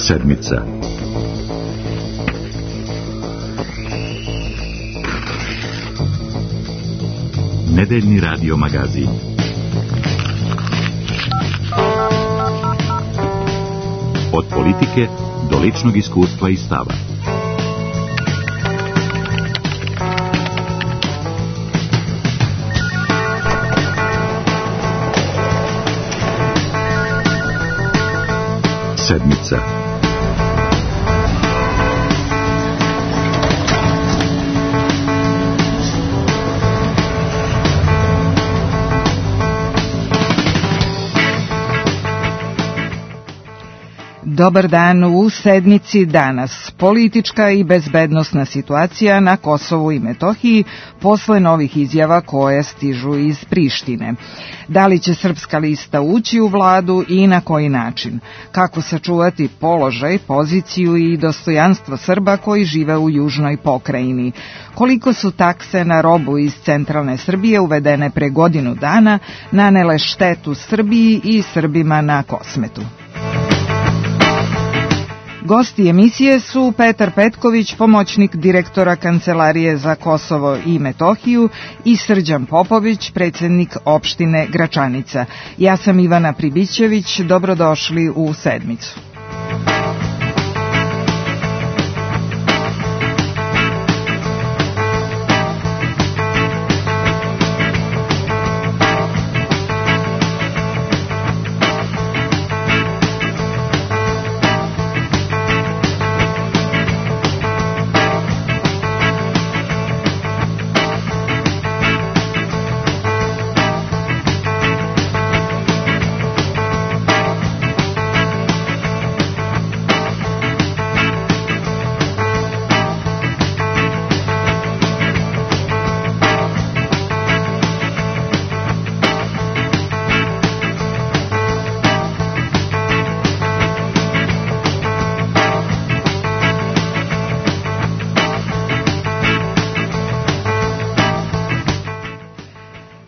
Sedmica. Nedeljni radio magazin. Od politike do ličnog iskustva i stava. Sedmica. Dobar dan, u sedmici danas. Politička i bezbednosna situacija na Kosovu i Metohiji posle novih izjava koje stižu iz Prištine. Da li će Srpska lista ući u vladu i na koji način? Kako sačuvati položaj, poziciju i dostojanstvo Srba koji žive u južnoj pokrajini? Koliko su takse na robu iz centralne Srbije uvedene pre godinu dana nanele štetu Srbiji i Srbima na Kosmetu? Gosti emisije su Petar Petković, pomoćnik direktora Kancelarije za Kosovo i Metohiju, i Srđan Popović, predsjednik opštine Gračanica. Ja sam Ivana Pribićević, dobrodošli u sedmicu.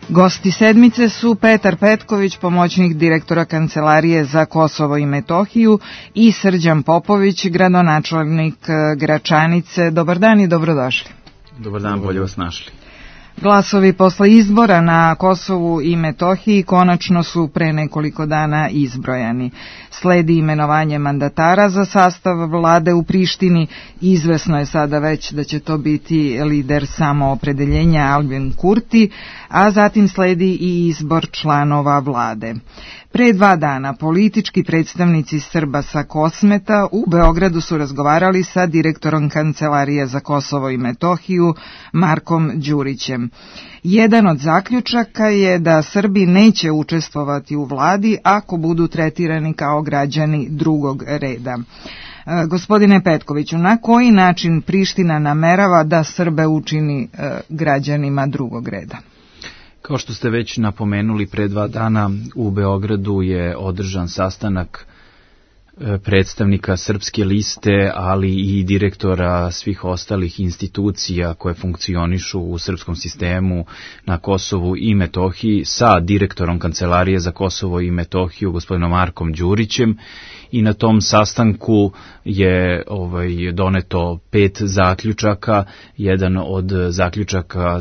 Gosti sedmice su Petar Petković, pomoćnik direktora Kancelarije za Kosovo i Metohiju, i Srđan Popović, gradonačelnik Gračanice. Dobar dan i dobrodošli. Dobar dan, bolje vas našli. Glasovi posle izbora na Kosovu i Metohiji konačno su pre nekoliko dana izbrojani. Sledi imenovanje mandatara za sastav vlade u Prištini. Izvesno je sada već da će to biti lider samoopredeljenja Albin Kurti, a zatim sledi i izbor članova vlade. Pre 2 dana politički predstavnici Srba sa Kosmeta u Beogradu su razgovarali sa direktorom Kancelarije za Kosovo i Metohiju Markom Đurićem. Jedan od zaključaka je da Srbi neće učestvovati u vladi ako budu tretirani kao građani drugog reda. Gospodine Petkoviću, na koji način Priština namerava da Srbe učini građanima drugog reda? Kao što ste već napomenuli, pre 2 dana u Beogradu je održan sastanak predstavnika Srpske liste, ali i direktora svih ostalih institucija koje funkcionišu u srpskom sistemu na Kosovu i Metohiji sa direktorom Kancelarije za Kosovo i Metohiju, gospodinom Markom Đurićem, i na tom sastanku je doneto 5 zaključaka. Jedan od zaključaka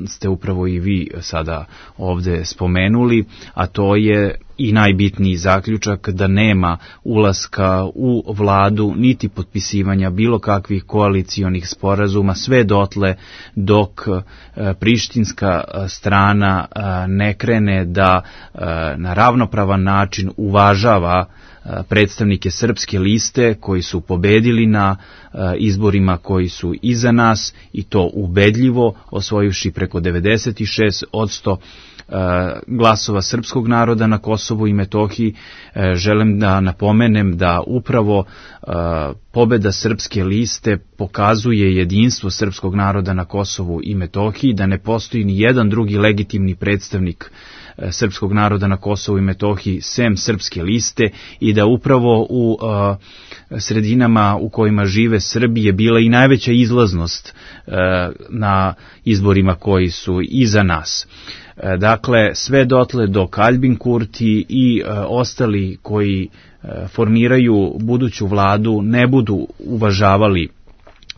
ste upravo i vi sada ovde spomenuli, a to je i najbitniji zaključak da nema ulaska u vladu niti potpisivanja bilo kakvih koalicionih sporazuma sve dotle dok prištinska strana ne krene da na ravnopravan način uvažava predstavnike Srpske liste koji su pobedili na izborima koji su iza nas, i to ubedljivo, osvojivši preko 96% glasova srpskog naroda na Kosovu i Metohiji. Želim da napomenem da upravo pobeda Srpske liste pokazuje jedinstvo srpskog naroda na Kosovu i Metohiji, da ne postoji ni jedan drugi legitimni predstavnik srpskog naroda na Kosovu i Metohiji sem Srpske liste i da upravo u sredinama u kojima žive Srbi je bila i najveća izlaznost na izborima koji su iza nas. Dakle, sve dotle dok Aljbin Kurti i ostali koji formiraju buduću vladu ne budu uvažavali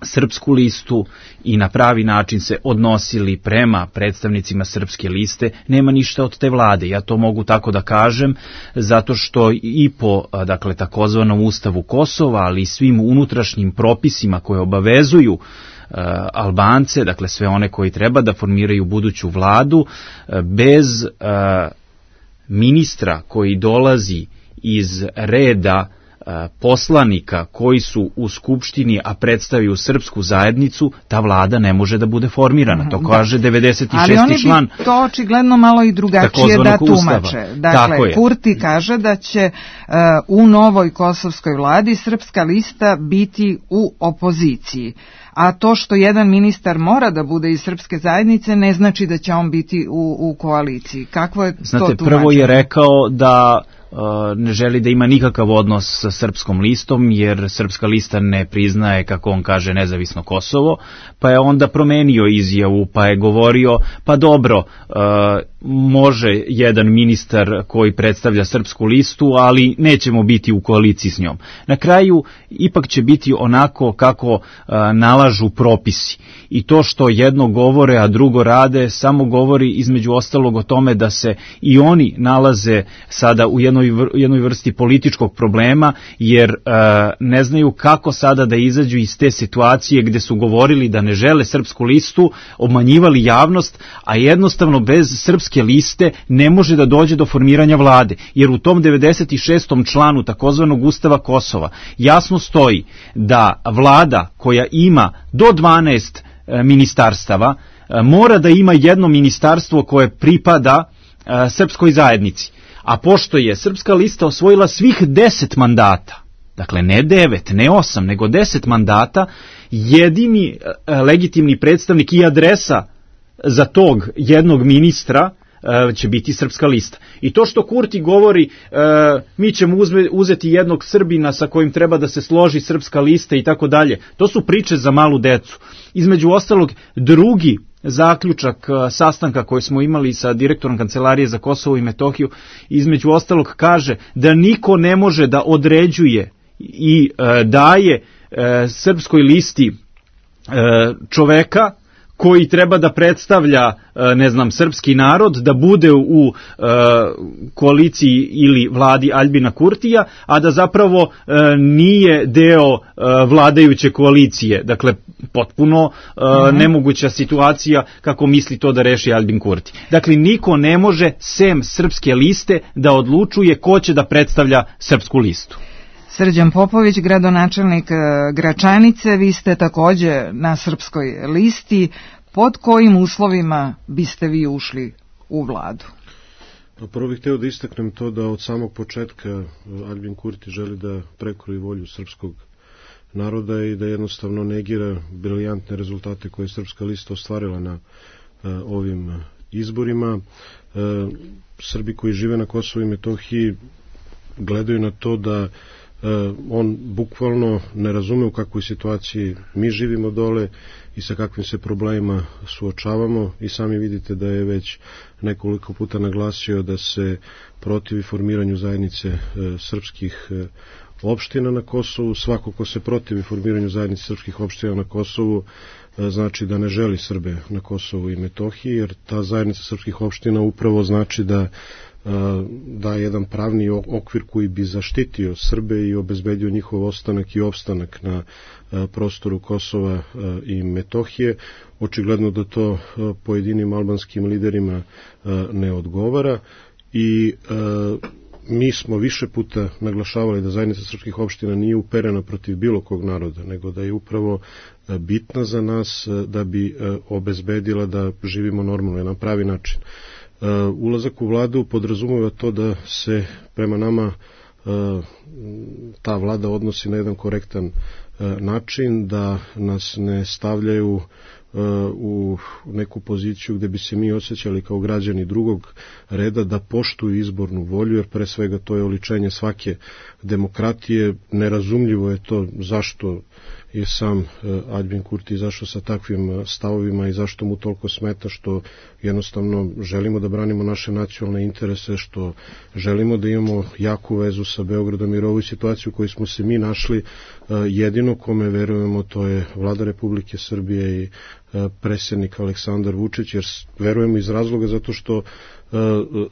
Srpsku listu i na pravi način se odnosili prema predstavnicima Srpske liste, nema ništa od te vlade. Ja to mogu tako da kažem, zato što i po takozvanom Ustavu Kosova, ali i svim unutrašnjim propisima koje obavezuju Albance, dakle sve one koji treba da formiraju buduću vladu, bez ministra koji dolazi iz reda poslanika koji su u Skupštini, a predstavljaju srpsku zajednicu, ta vlada ne može da bude formirana. To kaže 96. član. Ali oni bi to očigledno malo i drugačije da tumače. Dakle, Kurti kaže da će u novoj kosovskoj vladi Srpska lista biti u opoziciji. A to što jedan ministar mora da bude iz Srpske zajednice ne znači da će on biti u koaliciji. Kakvo je to tumačenje? Prvo je rekao da ne želi da ima nikakav odnos sa Srpskom listom, jer Srpska lista ne priznaje, kako on kaže, nezavisno Kosovo, pa je onda promenio izjavu, pa je govorio, pa dobro, može jedan ministar koji predstavlja Srpsku listu, ali nećemo biti u koaliciji s njom. Na kraju, ipak će biti onako kako nalažu propisi. I to što jedno govore, a drugo rade, samo govori između ostalog o tome da se i oni nalaze sada u jednoj vrsti političkog problema, jer ne znaju kako sada da izađu iz te situacije gde su govorili da ne žele Srpsku listu, obmanjivali javnost, a jednostavno bez Srpske liste ne može da dođe do formiranja vlade, jer u tom 96. članu takozvanog Ustava Kosova jasno stoji da vlada koja ima do 12 ministarstava mora da ima jedno ministarstvo koje pripada srpskoj zajednici. A pošto je Srpska lista osvojila svih 10 mandata, dakle ne 9, ne 8, nego 10 mandata, jedini legitimni predstavnik i adresa za tog jednog ministra će biti Srpska lista. I to što Kurti govori, mi ćemo uzeti jednog Srbina sa kojim treba da se složi Srpska lista i tako dalje, to su priče za malu decu. Između ostalog, drugi zaključak sastanka koji smo imali sa direktorom Kancelarije za Kosovo i Metohiju, između ostalog kaže da niko ne može da određuje i daje Srpskoj listi čoveka koji treba da predstavlja, srpski narod, da bude u koaliciji ili vladi Aljbina Kurtija, a da zapravo nije deo vladajuće koalicije. Dakle, potpuno nemoguća situacija kako misli to da reši Aljbin Kurti. Dakle, niko ne može, sem Srpske liste, da odlučuje ko će da predstavlja Srpsku listu. Srđan Popović, gradonačelnik Gračanice, vi ste takođe na Srpskoj listi. Pod kojim uslovima biste vi ušli u vladu? Prvo bih hteo da istaknem to da od samog početka Aljbin Kurti želi da prekroji volju srpskog naroda i da jednostavno negira briljantne rezultate koje je Srpska lista ostvarila na ovim izborima. Srbi koji žive na Kosovu i Metohiji gledaju na to da on bukvalno ne razume u kakvoj situaciji mi živimo dole i sa kakvim se problemima suočavamo, i sami vidite da je već nekoliko puta naglasio da se protivi formiranju zajednice srpskih opština na Kosovu. Svako ko se protivi formiranju zajednice srpskih opština na Kosovu znači da ne želi Srbe na Kosovu i Metohiji, jer ta zajednica srpskih opština upravo znači da jedan pravni okvir koji bi zaštitio Srbe i obezbedio njihov ostanak i opstanak na prostoru Kosova i Metohije. Očigledno da to pojedinim albanskim liderima ne odgovara i mi smo više puta naglašavali da zajednica srpskih opština nije uperena protiv bilo kog naroda, nego da je upravo bitna za nas da bi obezbedila da živimo normalno na pravi način. Ulazak u vladu podrazumeva to da se prema nama ta vlada odnosi na jedan korektan način, da nas ne stavljaju u neku poziciju gde bi se mi osjećali kao građani drugog reda da poštuju izbornu volju, jer pre svega to je oličenje svake demokratije. Nerazumljivo je to zašto je sam Aljbin Kurti izašao sa takvim stavovima i zašto mu toliko smeta, što jednostavno želimo da branimo naše nacionalne interese, što želimo da imamo jaku vezu sa Beogradom, jer ovu situaciju u kojoj smo se mi našli, jedino kome verujemo to je Vlada Republike Srbije i predsjednik Aleksandar Vučić, jer verujemo iz razloga zato što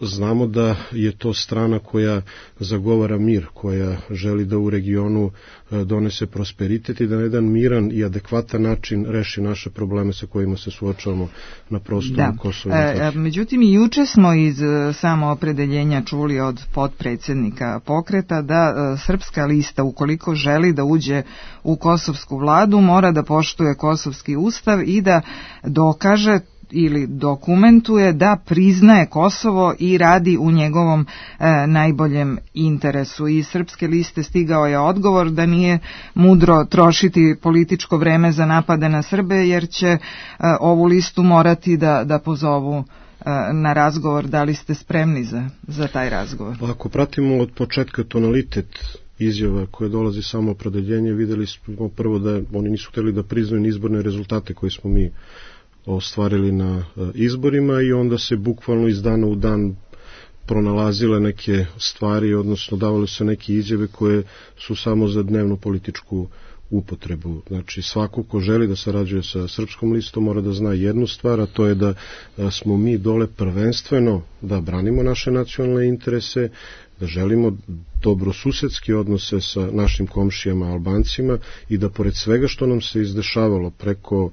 znamo da je to strana koja zagovara mir, koja želi da u regionu donese prosperitet i da na jedan miran i adekvatan način reši naše probleme sa kojima se suočavamo na prostoru Kosova i Metohije. Međutim, i juče smo iz samoopredeljenja čuli od potpredsjednika pokreta da Srpska lista, ukoliko želi da uđe u kosovsku vladu, mora da poštuje kosovski ustav i da dokaže ili dokumentuje da priznaje Kosovo i radi u njegovom najboljem interesu. Iz Srpske liste stigao je odgovor da nije mudro trošiti političko vreme za napade na Srbe, jer će ovu listu morati da pozovu na razgovor. Da li ste spremni za taj razgovor? Ako pratimo od početka tonalitet izjava koje dolazi samo opredeljenje, videli smo prvo da oni nisu hteli da priznaju izborne rezultate koje smo mi ostvarili na izborima, i onda se bukvalno iz dana u dan pronalazile neke stvari, odnosno davale se neke izjave koje su samo za dnevnu političku upotrebu. Znači, svako ko želi da sarađuje sa Srpskom listom mora da zna jednu stvar, a to je da smo mi dole prvenstveno da branimo naše nacionalne interese, da želimo dobrosusedske odnose sa našim komšijama Albancima i da pored svega što nam se izdešavalo preko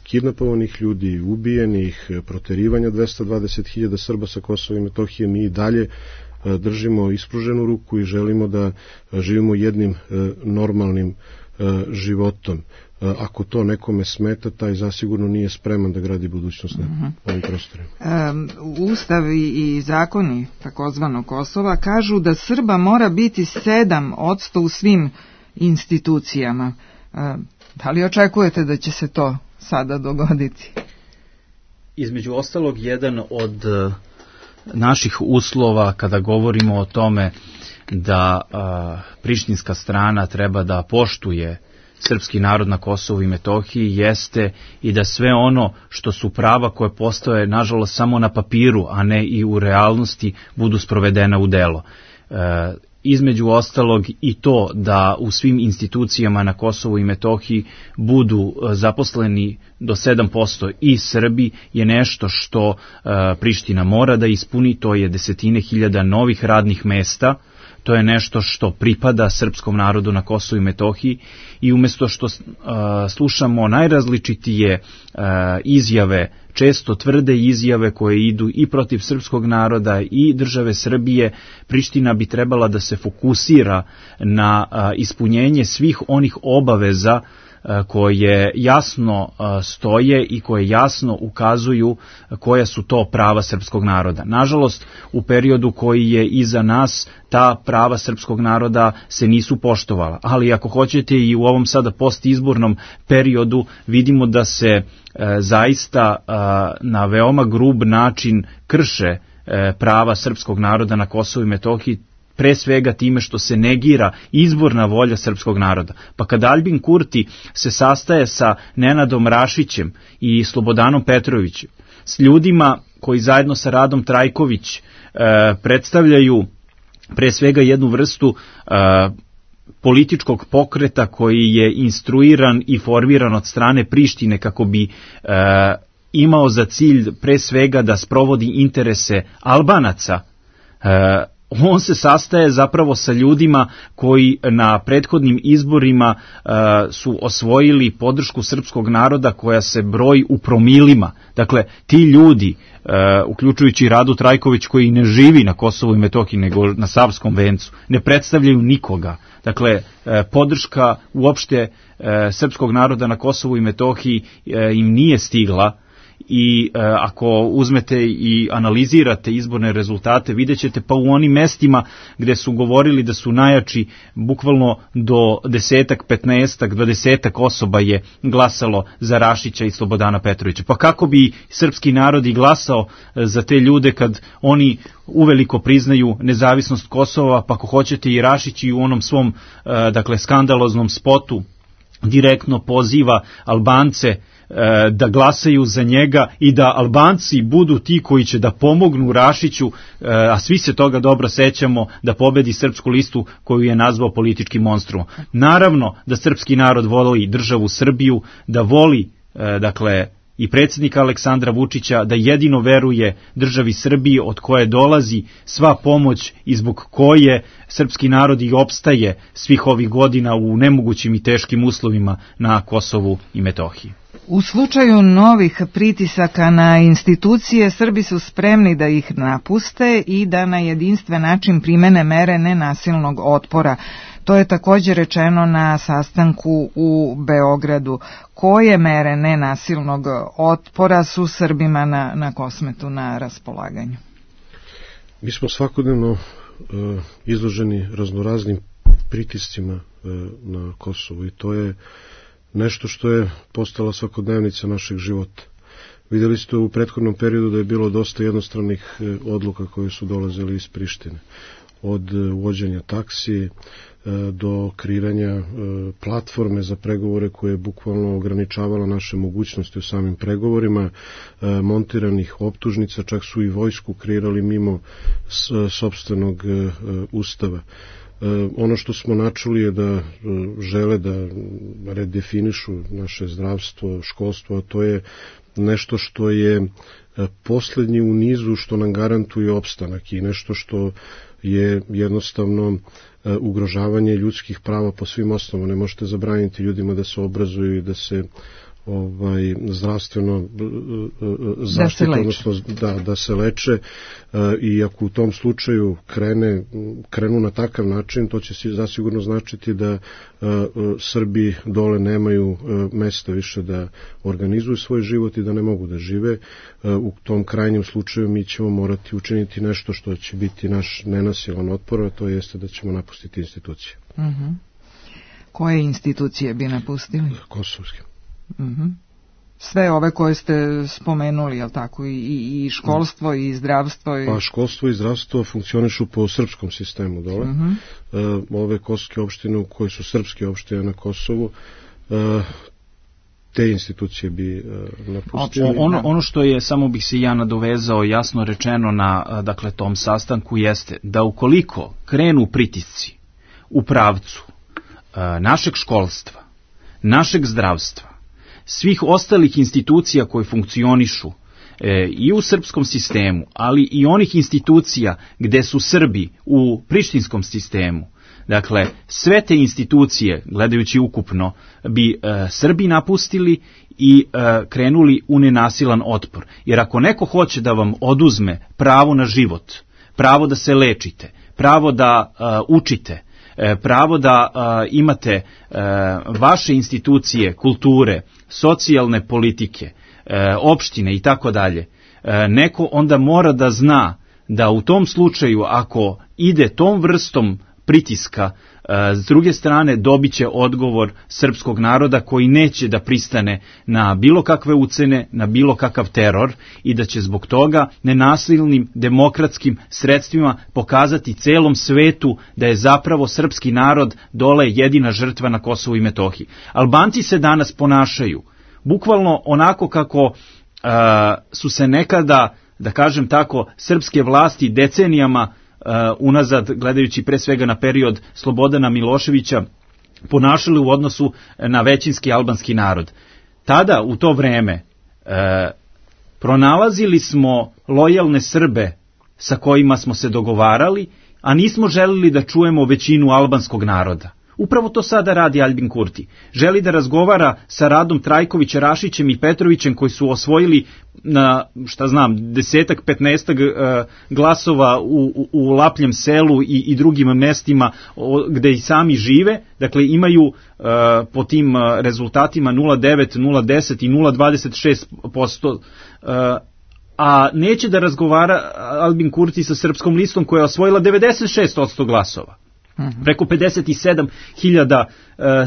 kidnapovanih ljudi, ubijenih, proterivanja 220.000 Srba sa Kosova i Metohije, mi i dalje držimo ispruženu ruku i želimo da živimo jednim normalnim životom. Ako to nekome smeta, taj zasigurno nije spreman da gradi budućnost na ovim prostorima. Ustav i zakoni takozvanog Kosova kažu da Srba mora biti 7% u svim institucijama. Da li očekujete da će se to sada dogoditi? Između ostalog, jedan od naših uslova kada govorimo o tome da prištinska strana treba da poštuje srpski narod na Kosovu i Metohiji jeste i da sve ono što su prava koje postoje nažalost samo na papiru, a ne i u realnosti, budu sprovedena u delo. Između ostalog i to da u svim institucijama na Kosovu i Metohiji budu zaposleni do 7% i Srbi je nešto što Priština mora da ispuni, to je 10.000 novih radnih mesta. To je nešto što pripada srpskom narodu na Kosovu i Metohiji, i umjesto što slušamo najrazličitije izjave, često tvrde izjave koje idu i protiv srpskog naroda i države Srbije, Priština bi trebala da se fokusira na ispunjenje svih onih obaveza koje jasno stoje i koje jasno ukazuju koja su to prava srpskog naroda. Nažalost, u periodu koji je iza nas, ta prava srpskog naroda se nisu poštovala, ali ako hoćete i u ovom sada postizbornom periodu vidimo da se zaista na veoma grub način krše prava srpskog naroda na Kosovu i Metohiji, pre svega time što se negira izborna volja srpskog naroda. Pa kada Aljbin Kurti se sastaje sa Nenadom Rašićem i Slobodanom Petrovićem, s ljudima koji zajedno sa Radom Trajković predstavljaju pre svega jednu vrstu političkog pokreta koji je instruiran i formiran od strane Prištine kako bi imao za cilj pre svega da sprovodi interese Albanaca, on se sastaje zapravo sa ljudima koji na prethodnim izborima su osvojili podršku srpskog naroda koja se broji u promilima. Dakle, ti ljudi, uključujući Radu Trajković koji ne živi na Kosovu i Metohiji nego na Savskom vencu, ne predstavljaju nikoga. Dakle, podrška uopšte srpskog naroda na Kosovu i Metohiji im nije stigla i ako uzmete i analizirate izborne rezultate, vidjet ćete pa u onim mestima gde su govorili da su najjači, bukvalno do 10-ak, 15-ak, 20-ak osoba je glasalo za Rašića i Slobodana Petrovića. Pa kako bi srpski narod i glasao za te ljude kad oni uveliko priznaju nezavisnost Kosova, pa ako hoćete i Rašić i u onom svom skandaloznom spotu direktno poziva Albance da glasaju za njega i da Albanci budu ti koji će da pomognu Rašiću, a svi se toga dobro sećamo, da pobedi Srpsku listu koju je nazvao političkim monstrum. Naravno da srpski narod voli državu Srbiju, da voli i predsjednika Aleksandra Vučića, da jedino veruje državi Srbiji od koje dolazi sva pomoć i zbog koje srpski narod i opstaje svih ovih godina u nemogućim i teškim uslovima na Kosovu i Metohiji. U slučaju novih pritisaka na institucije, Srbi su spremni da ih napuste i da na jedinstven način primene mere nenasilnog otpora. To je također rečeno na sastanku u Beogradu. Koje mere nenasilnog otpora su Srbima na Kosmetu na raspolaganju? Mi smo svakodnevno izloženi raznoraznim pritiscima na Kosovu i to je nešto što je postala svakodnevnica našeg života. Vidjeli ste u prethodnom periodu da je bilo dosta jednostranih odluka koje su dolazile iz Prištine. Od uvođenja taksi do kreiranja platforme za pregovore koje je bukvalno ograničavala naše mogućnosti u samim pregovorima, montiranih optužnica, čak su i vojsku kreirali mimo sopstvenog ustava. Ono što smo načuli je da žele da redefinišu naše zdravstvo, školstvo, a to je nešto što je poslednji u nizu što nam garantuje opstanak i nešto što je jednostavno ugrožavanje ljudskih prava po svim osnovama. Ne možete zabraniti ljudima da se obrazuju i da se zdravstveno zaštite, odnosno da se leče, i ako u tom slučaju krenu na takav način, to će zasigurno značiti da Srbi dole nemaju mesta više da organizuju svoj život i da ne mogu da žive. U tom krajnjem slučaju mi ćemo morati učiniti nešto što će biti naš nenasilan otpor, a to jeste da ćemo napustiti institucije. Koje institucije bi napustili? Kosovske. Sve ove koje ste spomenuli, je li tako, i školstvo i zdravstvo? Pa školstvo i zdravstvo funkcionišu po srpskom sistemu dole. Ove kosovske opštine koje su srpske opštine na Kosovu, te institucije bi napustili. Ono što je, samo bih se ja nadovezao, jasno rečeno na tom sastanku, jeste da ukoliko krenu pritisci u pravcu našeg školstva, našeg zdravstva, svih ostalih institucija koje funkcionišu i u srpskom sistemu, ali i onih institucija gde su Srbi u prištinskom sistemu, dakle, sve te institucije, gledajući ukupno, bi Srbi napustili i krenuli u nenasilan otpor. Jer ako neko hoće da vam oduzme pravo na život, pravo da se lečite, pravo da učite, pravo da imate vaše institucije, kulture, socijalne politike, opštine i tako dalje, neko onda mora da zna da u tom slučaju, ako ide tom vrstom pritiska, s druge strane dobit će odgovor srpskog naroda koji neće da pristane na bilo kakve ucene, na bilo kakav teror i da će zbog toga nenasilnim demokratskim sredstvima pokazati celom svetu da je zapravo srpski narod dole jedina žrtva na Kosovu i Metohiji. Albanci se danas ponašaju bukvalno onako kako su se nekada, da kažem tako, srpske vlasti decenijama unazad, gledajući pre svega na period Slobodana Miloševića, ponašali u odnosu na većinski albanski narod. Tada, u to vreme, pronalazili smo lojalne Srbe sa kojima smo se dogovarali, a nismo želili da čujemo većinu albanskog naroda. Upravo to sada radi Aljbin Kurti. Želi da razgovara sa Radom Trajkovića, Rašićem i Petrovićem koji su osvojili na, 10-ak, 15 glasova u Lapljem selu i drugim mestima gde i sami žive. Dakle, imaju po tim rezultatima 0,9, 0,10 i 0,26%, a neće da razgovara Aljbin Kurti sa Srpskom listom koja je osvojila 96% glasova. Preko 57.000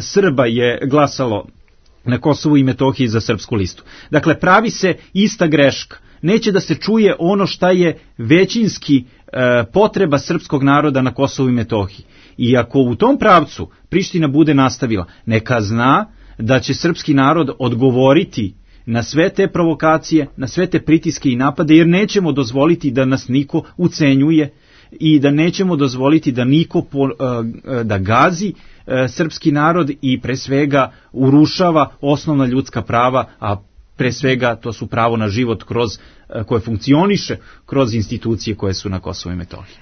Srba je glasalo na Kosovu i Metohiji za Srpsku listu. Dakle, pravi se ista greška. Neće da se čuje ono šta je većinski potreba srpskog naroda na Kosovu i Metohiji. I ako u tom pravcu Priština bude nastavila, neka zna da će srpski narod odgovoriti na sve te provokacije, na sve te pritiske i napade, jer nećemo dozvoliti da nas niko ucenjuje i da nećemo dozvoliti da niko da gazi srpski narod i pre svega urušava osnovna ljudska prava, a pre svega to su pravo na život koje funkcioniše kroz institucije koje su na Kosovu i Metohiji.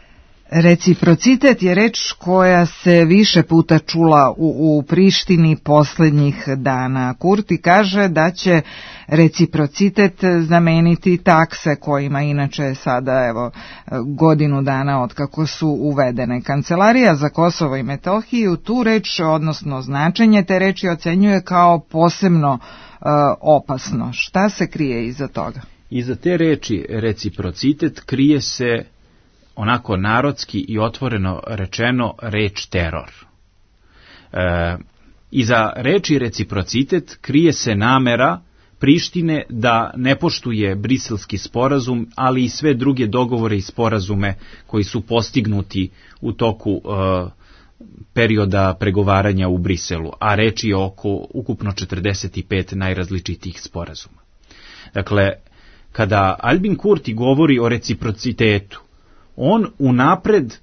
Reciprocitet je reč koja se više puta čula u Prištini posljednjih dana. Kurti kaže da će reciprocitet zameniti takse kojima inače sada godinu dana od kako su uvedene. Kancelarija za Kosovo i Metohiju tu reč, odnosno značenje te reči, ocenjuje kao posebno opasno. Šta se krije iza toga? Iza te reči reciprocitet krije se, onako narodski i otvoreno rečeno, reč teror. Iza reči reciprocitet krije se namera Prištine da ne poštuje Briselski sporazum, ali i sve druge dogovore i sporazume koji su postignuti u toku perioda pregovaranja u Briselu, a reč je oko ukupno 45 najrazličitijih sporazuma. Dakle, kada Aljbin Kurti govori o reciprocitetu, on unapred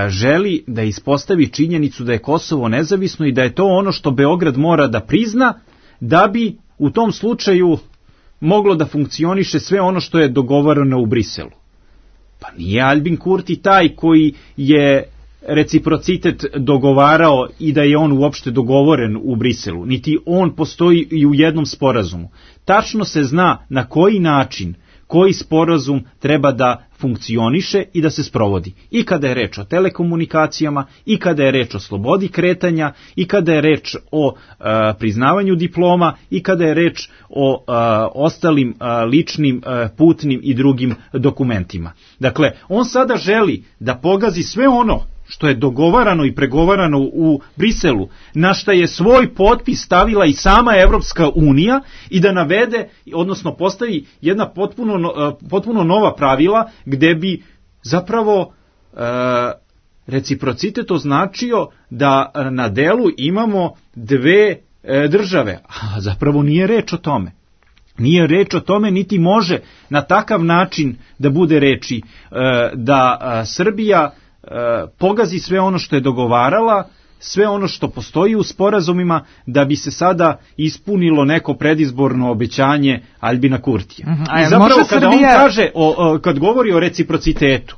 želi da ispostavi činjenicu da je Kosovo nezavisno i da je to ono što Beograd mora da prizna da bi u tom slučaju moglo da funkcioniše sve ono što je dogovoreno u Briselu. Pa nije Aljbin Kurti taj koji je reciprocitet dogovarao i da je on uopšte dogovoren u Briselu, niti on postoji i u jednom sporazumu. Tačno se zna na koji način koji sporazum treba da funkcioniše i da se sprovodi. I kada je reč o telekomunikacijama, i kada je reč o slobodi kretanja, i kada je reč o priznavanju diploma, i kada je reč o ostalim ličnim, putnim i drugim dokumentima. Dakle, on sada želi da pogazi sve ono što je dogovarano i pregovarano u Briselu, na šta je svoj potpis stavila i sama Evropska unija, i da navede, odnosno postavi jedna potpuno nova pravila gde bi zapravo reciprocitet označio da na delu imamo dve države, a zapravo nije reč o tome. Nije reč o tome, niti može na takav način da bude reči da Srbija pogazi sve ono što je dogovarala, sve ono što postoji u sporazumima, da bi se sada ispunilo neko predizborno obećanje Aljbina Kurtija. I zapravo kada on kaže, kad govori o reciprocitetu,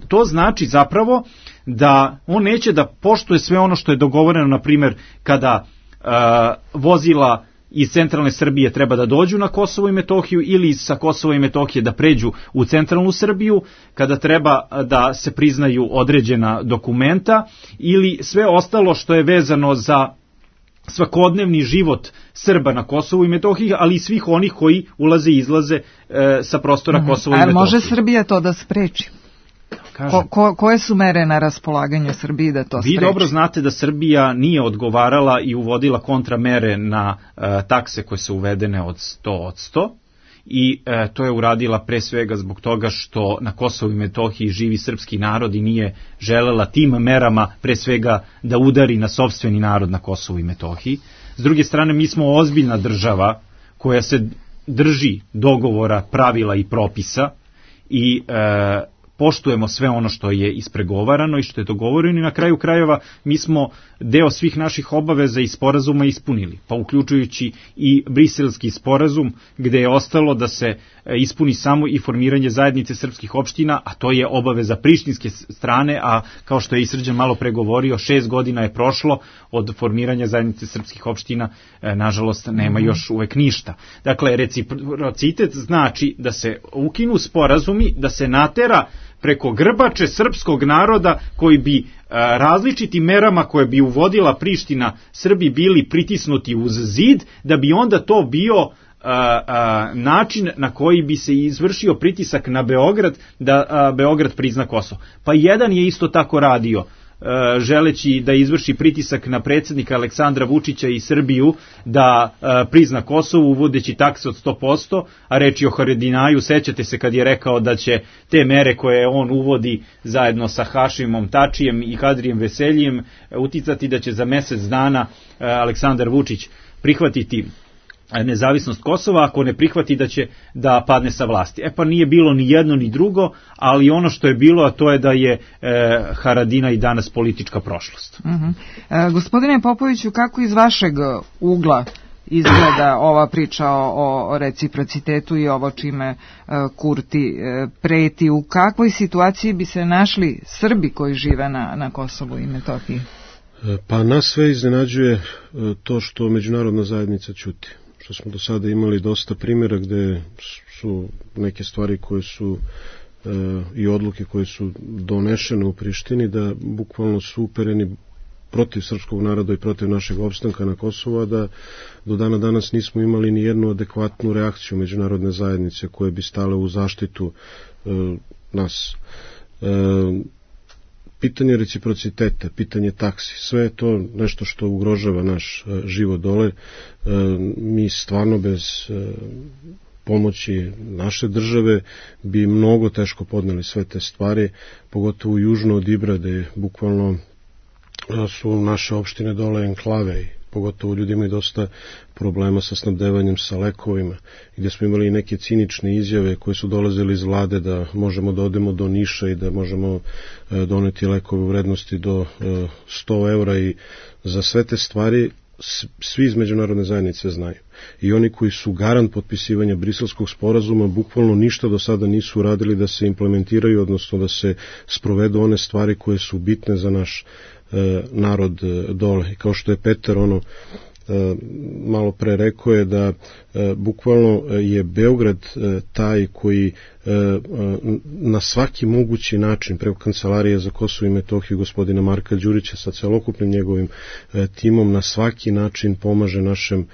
to znači zapravo da on neće da poštuje sve ono što je dogovoreno, na primjer kada vozila iz centralne Srbije treba da dođu na Kosovo i Metohiju ili sa Kosova i Metohije da pređu u centralnu Srbiju, kada treba da se priznaju određena dokumenta ili sve ostalo što je vezano za svakodnevni život Srba na Kosovu i Metohiji, ali i svih onih koji ulaze i izlaze sa prostora Kosova i Metohije. Ali može Srbija to da spreči? Koje su mere na raspolaganju Srbiji da to spreči? Vi dobro znate da Srbija nije odgovarala i uvodila kontramere na takse koje su uvedene od 100%, i to je uradila pre svega zbog toga što na Kosovu i Metohiji živi srpski narod i nije želela tim merama pre svega da udari na sopstveni narod na Kosovu i Metohiji. S druge strane, mi smo ozbiljna država koja se drži dogovora, pravila i propisa, i poštujemo sve ono što je ispregovarano i što je dogovoreno i na kraju krajeva mi smo deo svih naših obaveza i sporazuma ispunili, pa uključujući i Briselski sporazum gde je ostalo da se ispuni samo i formiranje zajednice srpskih opština, a to je obaveza prištinske strane, a kao što je i Srđan malo pregovorio, 6 godina je prošlo od formiranja zajednice srpskih opština, nažalost nema još uvek ništa. Dakle, reciprocitet znači da se ukinu sporazumi, da se natera preko grbače srpskog naroda koji bi različitim merama koje bi uvodila Priština Srbi bili pritisnuti uz zid, da bi onda to bio način na koji bi se izvršio pritisak na Beograd da Beograd prizna Kosovo. Pa jedan je isto tako radio, želeći da izvrši pritisak na predsjednika Aleksandra Vučića i Srbiju da prizna Kosovo uvodeći takse od 100%, a reč je o Haradinaju, sećate se kad je rekao da će te mere koje on uvodi zajedno sa Hašimom Tačijem i Kadrijem Veseljijem uticati da će za mjesec dana Aleksandar Vučić prihvatiti nezavisnost Kosova, ako ne prihvati da će da padne sa vlasti. Pa nije bilo ni jedno ni drugo, ali ono što je bilo, a to je da je Haradina i danas politička prošlost. Gospodine Popoviću, kako iz vašeg ugla izgleda ova priča o reciprocitetu i ovo čime Kurti preti? U kakvoj situaciji bi se našli Srbi koji žive na Kosovu i Metohiji? Pa nas sve iznenađuje to što međunarodna zajednica ćuti. Što smo do sada imali dosta primjera gde su neke stvari koje su i odluke koje su donešene u Prištini da bukvalno su upereni protiv srpskog naroda i protiv našeg opstanka na Kosovu, a da do dana danas nismo imali ni jednu adekvatnu reakciju međunarodne zajednice koje bi stale u zaštitu nas. Pitanje reciprociteta, pitanje taksi, sve je to nešto što ugrožava naš život dole. Mi stvarno bez pomoći naše države bi mnogo teško podneli sve te stvari, pogotovo južno od Ibra, gde bukvalno su naše opštine dole enklave i pogotovo ljudi imaju dosta problema sa snabdevanjem sa lekovima, gdje smo imali neke cinične izjave koje su dolazile iz vlade da možemo da odemo do Niša i da možemo doneti lekove u vrednosti do 100 eura i za sve te stvari svi iz međunarodne zajednice znaju. I oni koji su garant potpisivanja Briselskog sporazuma bukvalno ništa do sada nisu uradili da se implementiraju, odnosno da se sprovedu one stvari koje su bitne za naš narod dole. I kao što je Petar malo pre rekao je da bukvalno je Beograd taj koji na svaki mogući način preko Kancelarije za Kosovo i Metohiju gospodina Marka Đurića sa celokupnim njegovim timom na svaki način pomaže našem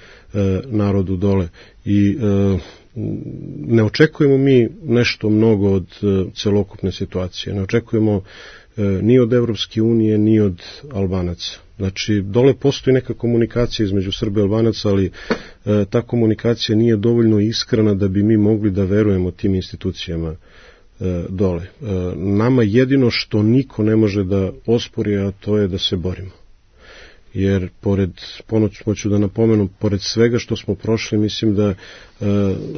narodu dole. I ne očekujemo mi nešto mnogo od celokupne situacije. Ne očekujemo ni od Evropske unije, ni od Albanaca. Znači, dole postoji neka komunikacija između Srba i Albanaca, ali ta komunikacija nije dovoljno iskrena da bi mi mogli da verujemo tim institucijama dole. Nama jedino što niko ne može da ospori, a to je da se borimo. Jer hoću da napomenu, pored svega što smo prošli, mislim da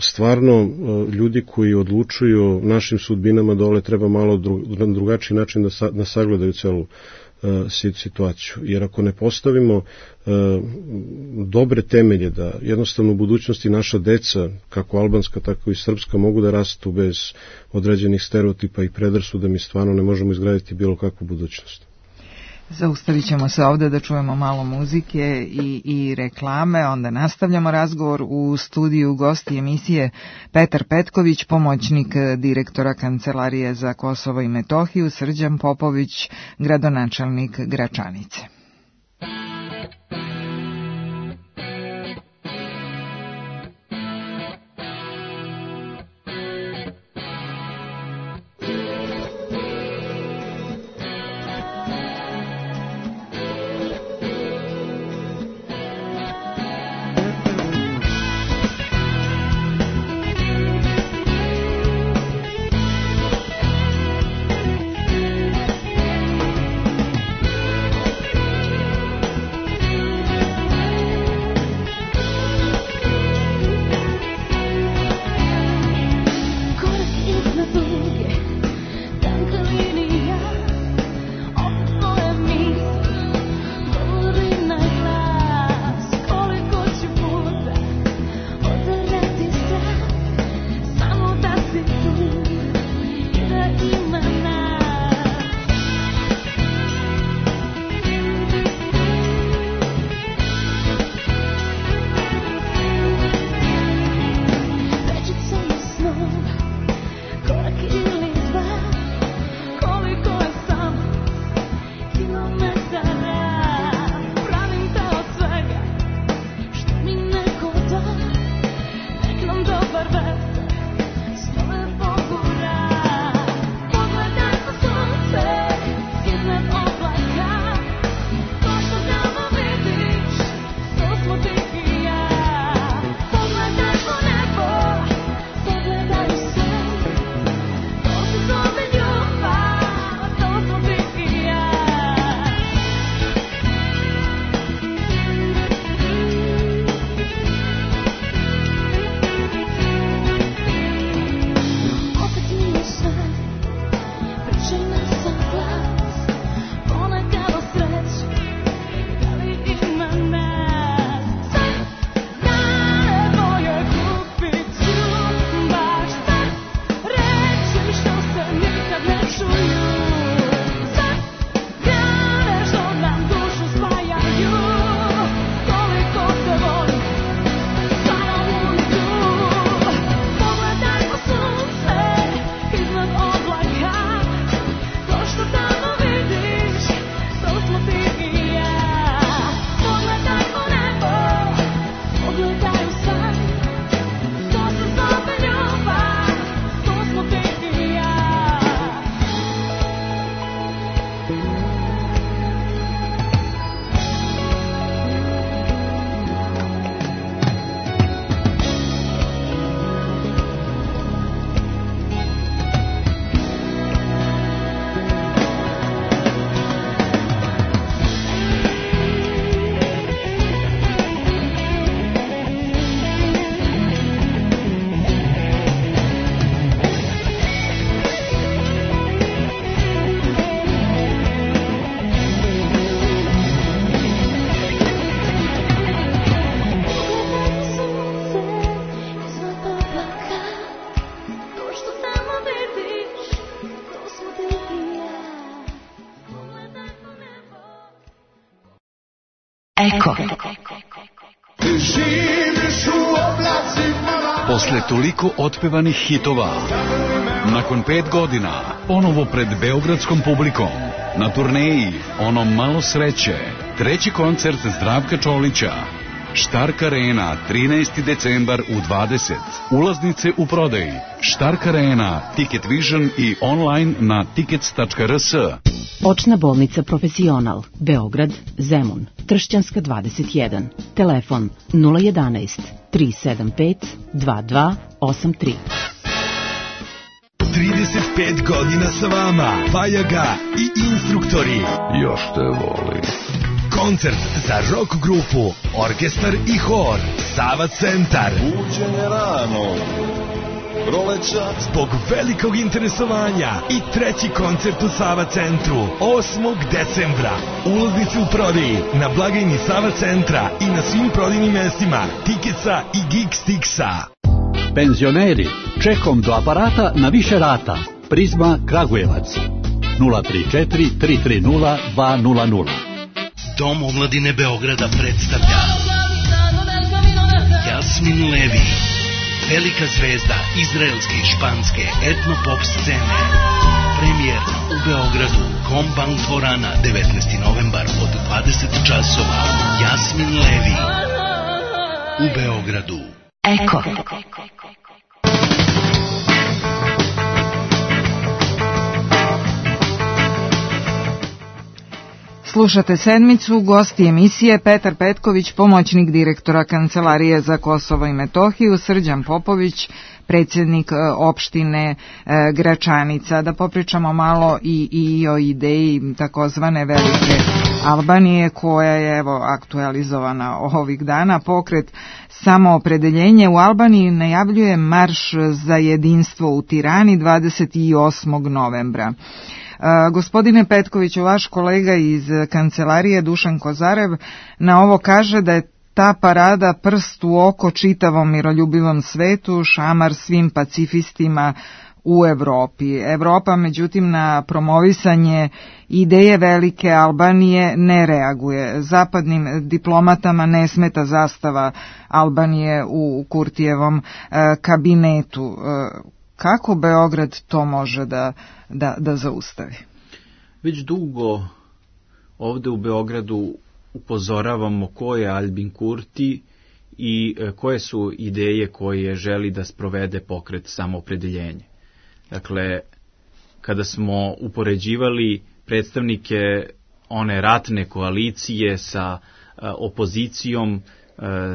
stvarno ljudi koji odlučuju o našim sudbinama dole treba malo na drugačiji način da sagledaju celu situaciju. Jer ako ne postavimo dobre temelje da jednostavno u budućnosti naša deca, kako albanska, tako i srpska, mogu da rastu bez određenih stereotipa i predrasuda, mi stvarno ne možemo izgraditi bilo kakvu budućnost. Zaustavit ćemo se ovdje da čujemo malo muzike i reklame, onda nastavljamo razgovor. U studiju gosti emisije Petar Petković, pomoćnik direktora Kancelarije za Kosovo i Metohiju, Srđan Popović, gradonačelnik Gračanice. Eko. Posle toliko otpevanih hitova, nakon 5 godina, ponovo pred beogradskom publikom, na turneji Ono malo sreće, treći koncert Zdravka Čolića, Štark Arena, 13. decembar u 20. Ulaznice u prodaji. Štark Arena, Ticket Vision i online na tickets.rs. Očna bolnica Profesional, Beograd, Zemun, Tršćanska 21. Telefon 011 375 2283. 35 godina sa vama, Fajaga i instruktori. Još te voli. Koncert za rock grupu, orkestar i hor, Sava Centar. Buđenje rano, proleća. Zbog velikog interesovanja i treći koncert u Sava Centru, 8. decembra. Ulaznice u prodaji na blagajni Sava Centra i na svim prodajnim mestima Tiketsa i Geekstixa. Penzioneri, čekom do aparata na više rata. Prizma Kragujevac 034 330 200. Dom omladine Beograda predstavlja Jasmin Levi, velika zvezda izraelske i španske etno-pop scene. Premijerno u Beogradu, Kombank dvorana, 19. novembar od 20 časova. Jasmin Levi u Beogradu. Eko. Slušate sedmicu, gosti emisije Petar Petković, pomoćnik direktora Kancelarije za Kosovo i Metohiju, Srđan Popović, predsjednik opštine Gračanica. Da popričamo malo i o ideji takozvane Velike Albanije, koja je aktualizovana ovih dana. Pokret Samoopredeljenje u Albaniji najavljuje marš za jedinstvo u Tirani 28. novembra. Gospodine Petkoviću, vaš kolega iz kancelarije Dušan Kozarev na ovo kaže da je ta parada prst u oko čitavom miroljubivom svetu, šamar svim pacifistima u Evropi. Evropa, međutim, na promovisanje ideje Velike Albanije ne reaguje. Zapadnim diplomatama ne smeta zastava Albanije u Kurtijevom kabinetu. Kako Beograd to može da zaustavi? Već dugo ovde u Beogradu upozoravamo ko je Albin Kurti i koje su ideje koje želi da sprovede pokret Samoopredeljenje. Dakle, kada smo upoređivali predstavnike one ratne koalicije sa opozicijom,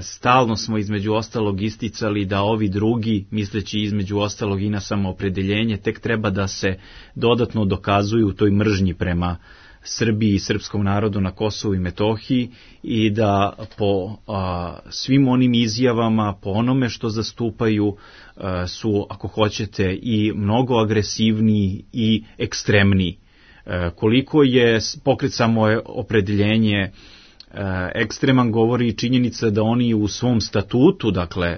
stalno smo između ostalog isticali da ovi drugi, misleći između ostalog i na samoopredeljenje, tek treba da se dodatno dokazuju u toj mržnji prema Srbiji i srpskom narodu na Kosovu i Metohiji i da po svim onim izjavama, po onome što zastupaju, su, ako hoćete, i mnogo agresivniji i ekstremniji. Koliko je pokret Samoopredeljenje ekstreman, govori činjenica da oni u svom statutu, dakle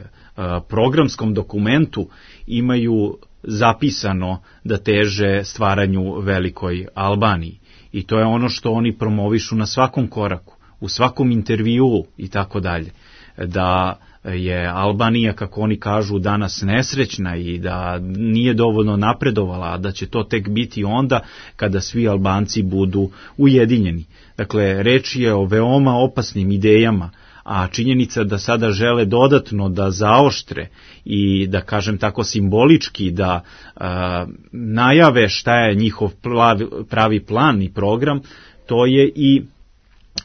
programskom dokumentu, imaju zapisano da teže stvaranju Velikoj Albaniji. I to je ono što oni promovišu na svakom koraku, u svakom intervjuu i tako dalje. Da je Albanija, kako oni kažu, danas nesrećna i da nije dovoljno napredovala, a da će to tek biti onda kada svi Albanci budu ujedinjeni. Dakle, reč je o veoma opasnim idejama, a činjenica da sada žele dodatno da zaoštre i da, kažem tako, simbolički da najave šta je njihov pravi plan i program, to je i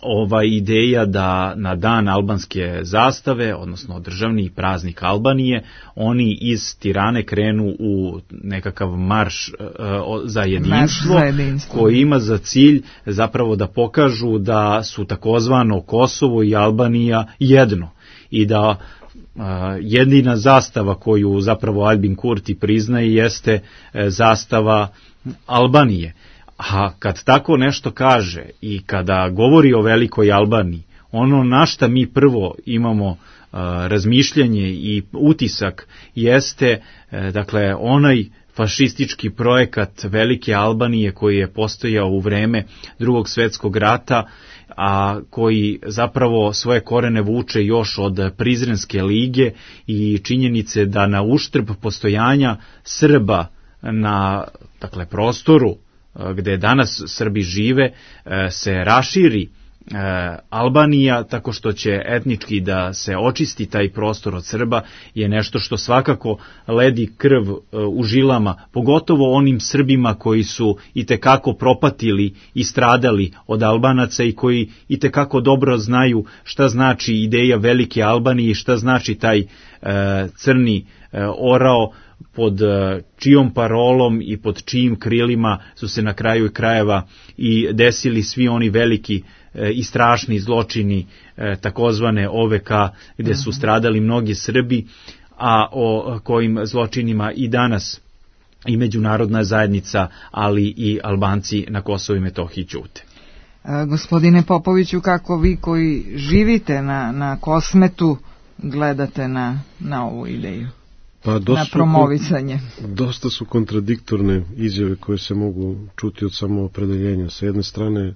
ova ideja da na dan albanske zastave, odnosno državni praznik Albanije, oni iz Tirane krenu u nekakav marš za jedinstvo, koji ima za cilj zapravo da pokažu da su takozvano Kosovo i Albanija jedno i da jedina zastava koju zapravo Albin Kurti priznaje jeste zastava Albanije. A kad tako nešto kaže i kada govori o Velikoj Albaniji, ono na šta mi prvo imamo razmišljanje i utisak jeste, dakle, onaj fašistički projekat Velike Albanije koji je postojao u vreme Drugog svjetskog rata, a koji zapravo svoje korene vuče još od Prizrenske lige i činjenice da na uštrb postojanja Srba na prostoru gde danas Srbi žive se raširi Albanija tako što će etnički da se očisti taj prostor od Srba je nešto što svakako ledi krv u žilama, pogotovo onim Srbima koji su itekako propatili i stradali od Albanaca i koji itekako dobro znaju šta znači ideja Velike Albanije i šta znači taj crni orao pod čijom parolom i pod čijim krilima su se na kraju krajeva i desili svi oni veliki i strašni zločini takozvane OVK gde su stradali mnogi Srbi, a o kojim zločinima i danas i međunarodna zajednica, ali i Albanci na Kosovu i Metohiji ćute. Gospodine Popoviću, kako vi koji živite na Kosmetu gledate na ovu ideju? Na promovisanje. Dosta su kontradiktorne izjave koje se mogu čuti od samoopredeljenja. Sa jedne strane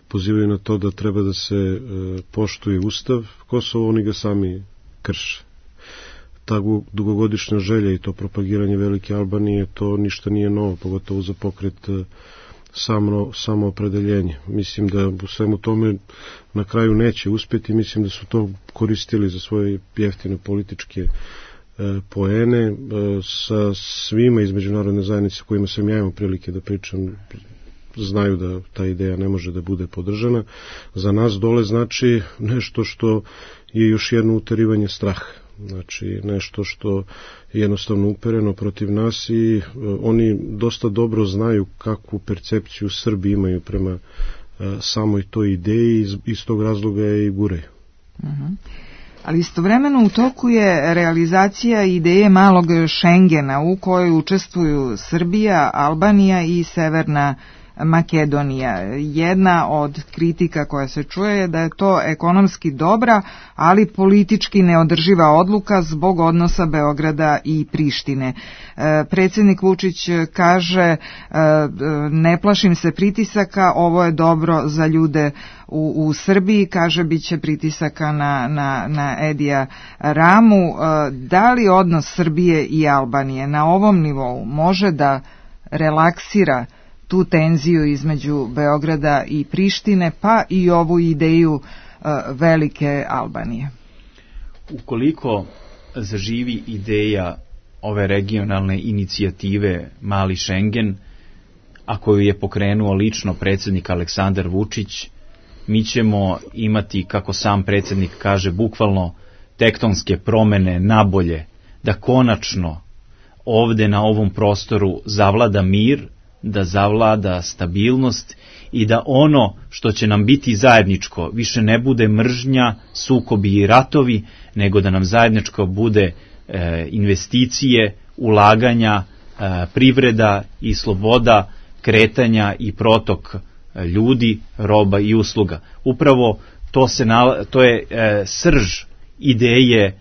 pozivaju na to da treba da se poštuje Ustav Kosova, oni ga sami krše. Ta dugogodišnja želja i to propagiranje Velike Albanije, to ništa nije novo, pogotovo za pokret samoopredeljenje. Mislim da u svemu tome na kraju neće uspjeti, mislim da su to koristili za svoje jeftine političke poene. Sa svima iz međunarodne zajednice kojima sam ja imao prilike da pričam, znaju da ta ideja ne može da bude podržana. Za nas dole znači nešto što je još jedno uterivanje straha. Znači nešto što je jednostavno upereno protiv nas i oni dosta dobro znaju kakvu percepciju Srbi imaju prema samoj toj ideji i iz tog razloga je i gureju. Ali istovremeno u toku je realizacija ideje malog Šengena u kojoj učestvuju Srbija, Albanija i Severna Makedonija. Jedna od kritika koja se čuje je da je to ekonomski dobra, ali politički neodrživa odluka zbog odnosa Beograda i Prištine. Predsjednik Vučić kaže, ne plašim se pritisaka, ovo je dobro za ljude u Srbiji, kaže bit će pritisaka na Edija Ramu. Da li odnos Srbije i Albanije na ovom nivou može da relaksira tu tenziju između Beograda i Prištine, pa i ovu ideju Velike Albanije? Ukoliko zaživi ideja ove regionalne inicijative Mali Šengen, a koju je pokrenuo lično predsjednik Aleksandar Vučić, mi ćemo imati, kako sam predsjednik kaže, bukvalno tektonske promene nabolje, da konačno ovde na ovom prostoru zavlada mir, da zavlada stabilnost i da ono što će nam biti zajedničko više ne bude mržnja, sukobi i ratovi, nego da nam zajedničko bude investicije, ulaganja, privreda i sloboda kretanja i protok ljudi, roba i usluga. Upravo to je srž ideje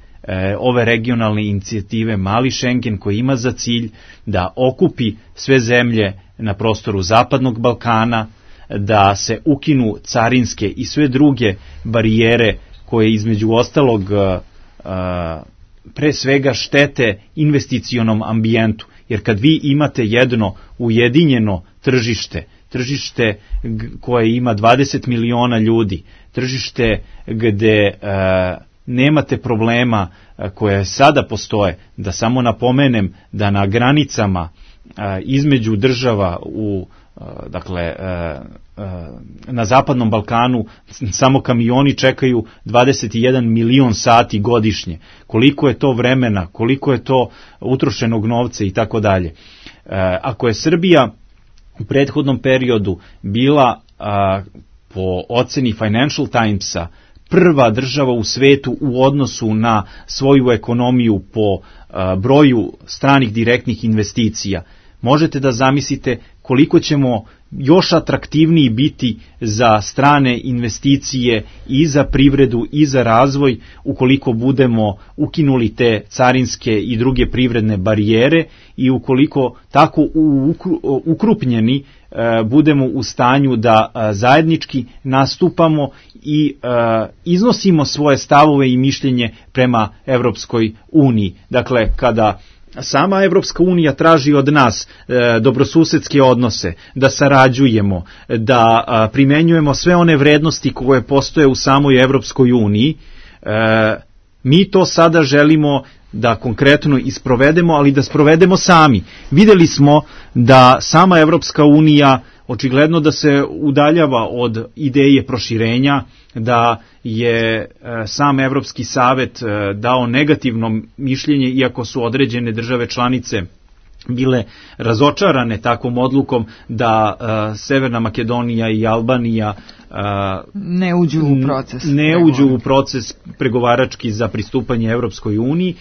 ove regionalne inicijative Mali Šengen, koji ima za cilj da okupi sve zemlje na prostoru Zapadnog Balkana, da se ukinu carinske i sve druge barijere koje između ostalog pre svega štete investicionom ambijentu. Jer kad vi imate jedno ujedinjeno tržište koje ima 20 miliona ljudi, tržište gde nemate problema koje sada postoje, da samo napomenem da na granicama između država na Zapadnom Balkanu samo kamioni čekaju 21 milion sati godišnje. Koliko je to vremena, koliko je to utrošenog novca i tako dalje. Ako je Srbija u prethodnom periodu bila po oceni Financial Timesa prva država u svetu u odnosu na svoju ekonomiju po broju stranih direktnih investicija, možete da zamislite koliko ćemo još atraktivniji biti za strane investicije i za privredu i za razvoj ukoliko budemo ukinuli te carinske i druge privredne barijere i ukoliko tako ukrupnjeni budemo u stanju da zajednički nastupamo i iznosimo svoje stavove i mišljenje prema Evropskoj uniji. Dakle, kada sama Evropska unija traži od nas dobrosusedske odnose, da sarađujemo, da primenjujemo sve one vrednosti koje postoje u samoj Evropskoj uniji, mi to sada želimo da konkretno isprovedemo, ali da sprovedemo sami. Videli smo da sama Evropska unija očigledno da se udaljava od ideje proširenja, da je sam Evropski savet dao negativno mišljenje, iako su određene države članice bile razočarane takvom odlukom da Severna Makedonija i Albanija ne uđu u proces pregovarački za pristupanje Evropskoj uniji,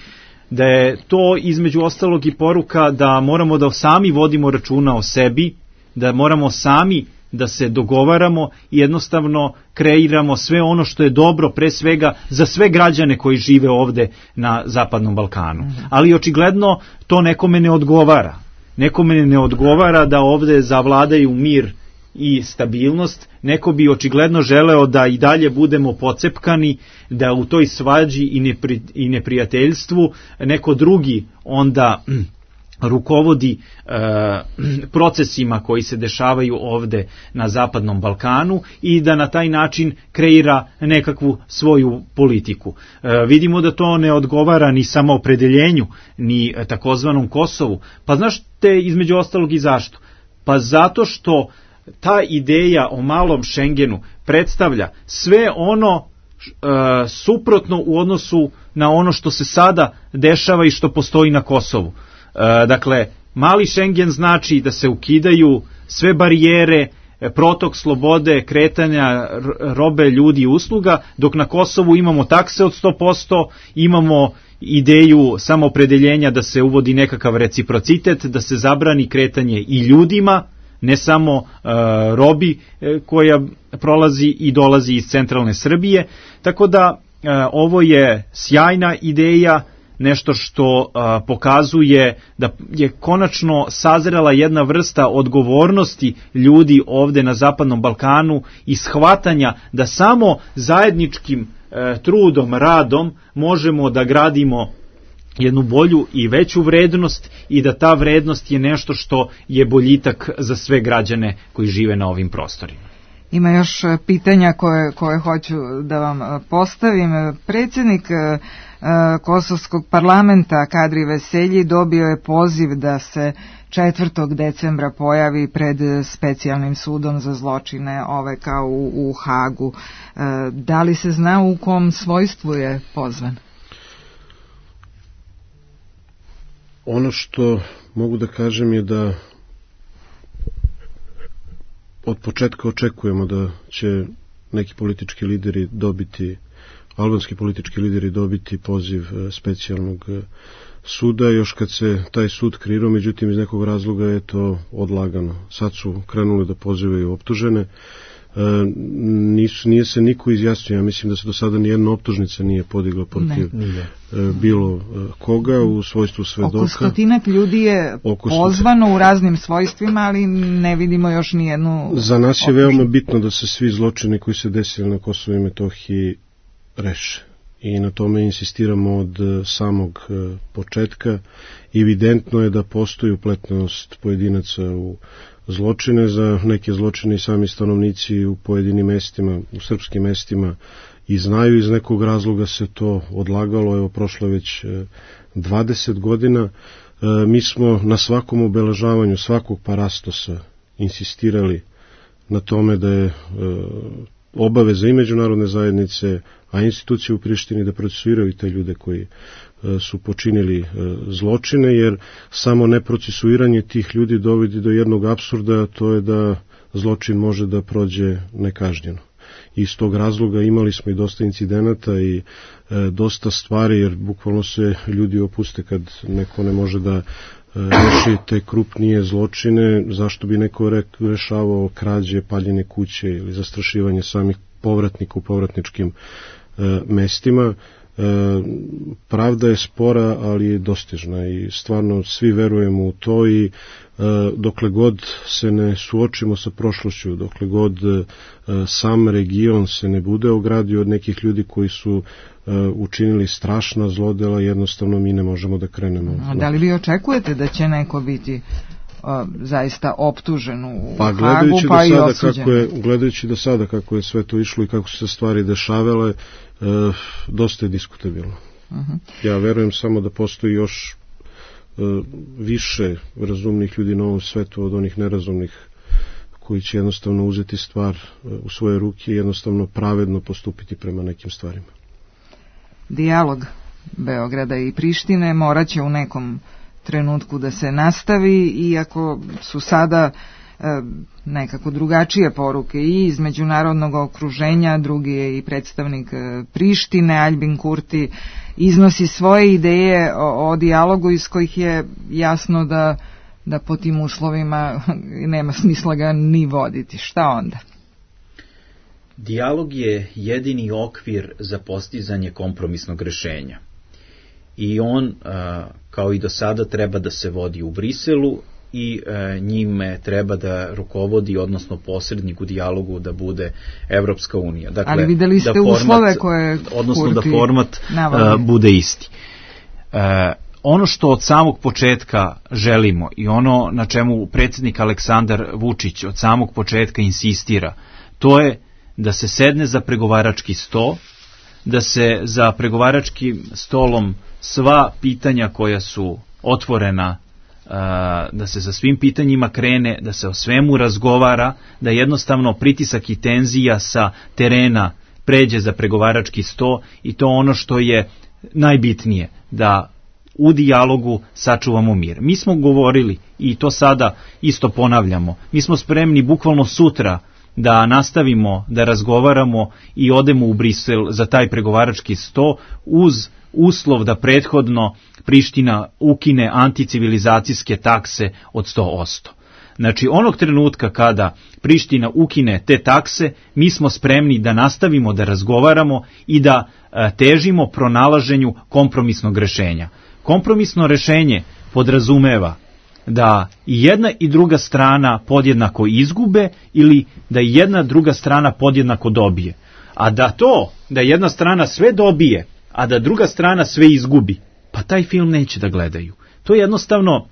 da je to između ostalog i poruka da moramo da sami vodimo računa o sebi, da moramo sami da se dogovaramo i jednostavno kreiramo sve ono što je dobro pre svega za sve građane koji žive ovde na Zapadnom Balkanu. Ali očigledno to nekome ne odgovara. Nekome ne odgovara da ovde zavladaju mir i stabilnost, neko bi očigledno želeo da i dalje budemo pocepkani, da u toj svađi i neprijateljstvu neko drugi onda rukovodi procesima koji se dešavaju ovde na Zapadnom Balkanu i da na taj način kreira nekakvu svoju politiku. Vidimo da to ne odgovara ni samoopredeljenju, ni takozvanom Kosovu. Pa znaš te između ostalog i zašto? Pa zato što ta ideja o malom Šengenu predstavlja sve ono suprotno u odnosu na ono što se sada dešava i što postoji na Kosovu. Dakle, mali Šengen znači da se ukidaju sve barijere, protok slobode, kretanja robe, ljudi i usluga, dok na Kosovu imamo takse od 100%, imamo ideju samoopredeljenja da se uvodi nekakav reciprocitet, da se zabrani kretanje i ljudima, ne samo robi koja prolazi i dolazi iz centralne Srbije, tako da ovo je sjajna ideja, nešto što pokazuje da je konačno sazrela jedna vrsta odgovornosti ljudi ovde na Zapadnom Balkanu i shvatanja da samo zajedničkim trudom, radom možemo da gradimo jednu bolju i veću vrednost i da ta vrednost je nešto što je boljitak za sve građane koji žive na ovim prostorima. Ima još pitanja koje hoću da vam postavim. Predsjednik Kosovskog parlamenta Kadri Veselji dobio je poziv da se 4. decembra pojavi pred specijalnim sudom za zločine OVK u Hagu. Da li se zna u kom svojstvu je pozvan? Ono što mogu da kažem je da od početka očekujemo da će neki politički lideri dobiti, albanski politički lideri dobiti poziv specijalnog suda, još kad se taj sud kreirao, međutim iz nekog razloga je to odlagano. Sad su krenuli da pozivaju optužene, nije se niko izjasnio, ja mislim da se do sada nijedna optužnica nije podigla protiv bilo koga u svojstvu svedoka. Oko 100 ljudi je pozvano u raznim svojstvima, ali ne vidimo još nijednu. Za nas je veoma bitno da se svi zločini koji se desili na Kosovu i Metohiji reše. I na tome insistiramo od samog početka. Evidentno je da postoji upletnost pojedinaca u zločine, za neke zločine i sami stanovnici u pojedinim mestima, u srpskim mestima i znaju, iz nekog razloga se to odlagalo, evo prošlo već 20 godina. Mi smo na svakom obeležavanju svakog parastosa insistirali na tome da je obaveza i međunarodne zajednice, a institucije u Prištini da procesuiraju te ljude koji su počinili zločine, jer samo neprocesuiranje tih ljudi dovodi do jednog apsurda, a to je da zločin može da prođe nekažnjeno. iz tog razloga imali smo i dosta incidenata i dosta stvari, jer bukvalno se ljudi opuste kad neko ne može da reši te krupnije zločine, zašto bi neko rešavao krađe, paljenje kuće ili zastrašivanje samih povratnika u povratničkim mestima. Pravda je spora, ali je dostižna i stvarno svi verujemo u to i dokle god se ne suočimo sa prošlošću, dokle god sam region se ne bude ogradio od nekih ljudi koji su učinili strašna zlodela, jednostavno mi ne možemo da krenemo. A da li vi očekujete da će neko biti zaista optužen u Hagu, pa i osuđen? Gledajući do sada kako je sve to išlo i kako su se stvari dešavale, dosta je diskutabilno. Ja verujem samo da postoji još više razumnih ljudi na ovom svetu od onih nerazumnih koji će jednostavno uzeti stvar u svoje ruke i jednostavno pravedno postupiti prema nekim stvarima. Dijalog Beograda i Prištine morat će u nekom trenutku da se nastavi, iako su sada nekako drugačije poruke i iz međunarodnog okruženja. Drugi je i predstavnik Prištine, Aljbin Kurti, iznosi svoje ideje o dijalogu iz kojih je jasno da po tim uslovima nema smisla ga ni voditi. Šta onda? Dijalog je jedini okvir za postizanje kompromisnog rešenja. I on, kao i do sada, treba da se vodi u Briselu i njime treba da rukovodi, odnosno posrednik u dijalogu da bude Evropska unija. Dakle, ali videli ste uslove koje odnosno da format bude isti. Ono što od samog početka želimo i ono na čemu predsjednik Aleksandar Vučić od samog početka insistira, to je da se sedne za pregovarački sto, da se za pregovaračkim stolom sva pitanja koja su otvorena, da se sa svim pitanjima krene, da se o svemu razgovara, da jednostavno pritisak i tenzija sa terena pređe za pregovarački sto i to ono što je najbitnije, da u dijalogu sačuvamo mir. Mi smo govorili i to sada isto ponavljamo, mi smo spremni bukvalno sutra da nastavimo da razgovaramo i odemo u Brisel za taj pregovarački sto uz uslov da prethodno Priština ukine anticivilizacijske takse od 100%. Znači, onog trenutka kada Priština ukine te takse, mi smo spremni da nastavimo da razgovaramo i da težimo pronalaženju kompromisnog rešenja. Kompromisno rešenje podrazumeva da i jedna i druga strana podjednako izgube ili da i jedna druga strana podjednako dobije. A da jedna strana sve dobije, a da druga strana sve izgubi, pa taj film neće da gledaju. To jednostavno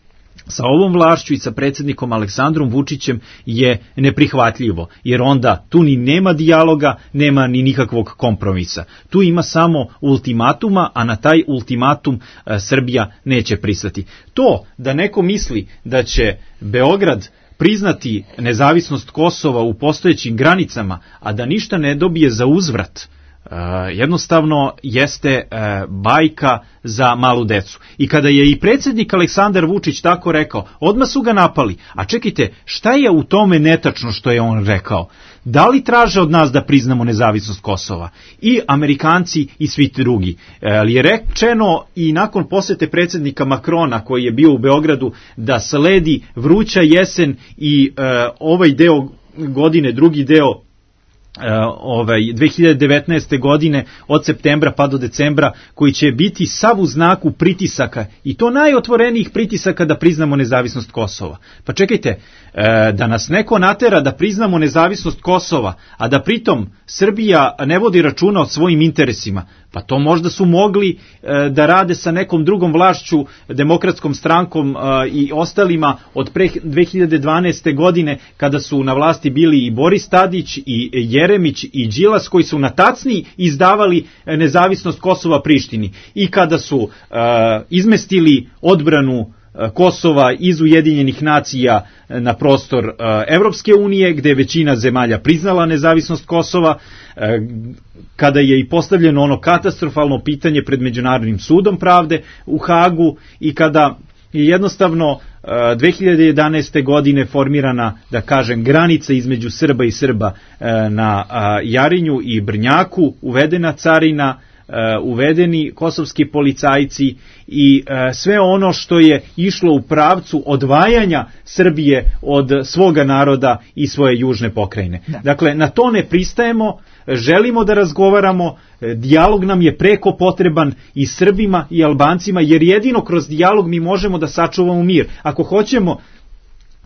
sa ovom vlašću i sa predsjednikom Aleksandrom Vučićem je neprihvatljivo, jer onda tu ni nema dijaloga, nema ni nikakvog kompromisa. Tu ima samo ultimatuma, a na taj ultimatum Srbija neće pristati. To da neko misli da će Beograd priznati nezavisnost Kosova u postojećim granicama, a da ništa ne dobije za uzvrat, jednostavno jeste bajka za malu decu. I kada je i predsjednik Aleksandar Vučić tako rekao, odmah su ga napali. A čekajte, šta je u tome netačno što je on rekao? Da li traže od nas da priznamo nezavisnost Kosova? I Amerikanci i svi drugi. Ali je rečeno i nakon posete predsjednika Makrona koji je bio u Beogradu da sledi vruća jesen i ovaj deo godine, drugi deo 2019. godine od septembra pa do decembra, koji će biti sav u znaku pritisaka i to najotvorenijih pritisaka da priznamo nezavisnost Kosova. Pa čekajte, da nas neko natera da priznamo nezavisnost Kosova, a da pritom Srbija ne vodi računa o svojim interesima, pa to možda su mogli da rade sa nekom drugom vlašću, Demokratskom strankom i ostalima od pre 2012. godine, kada su na vlasti bili i Boris Tadić i Jeremić i Đilas, koji su na tacni izdavali nezavisnost Kosova Prištini i kada su izmestili odbranu Kosova iz Ujedinjenih nacija na prostor Evropske unije, gde je većina zemalja priznala nezavisnost Kosova, kada je i postavljeno ono katastrofalno pitanje pred Međunarodnim sudom pravde u Hagu i kada je jednostavno 2011. godine formirana, da kažem, granica između Srba i Srba na Jarinju i Brnjaku, uvedena carina, uvedeni kosovski policajci i sve ono što je išlo u pravcu odvajanja Srbije od svoga naroda i svoje južne pokrajine. Dakle, na to ne pristajemo, želimo da razgovaramo, dijalog nam je preko potreban i Srbima i Albancima, jer jedino kroz dijalog mi možemo da sačuvamo mir. Ako hoćemo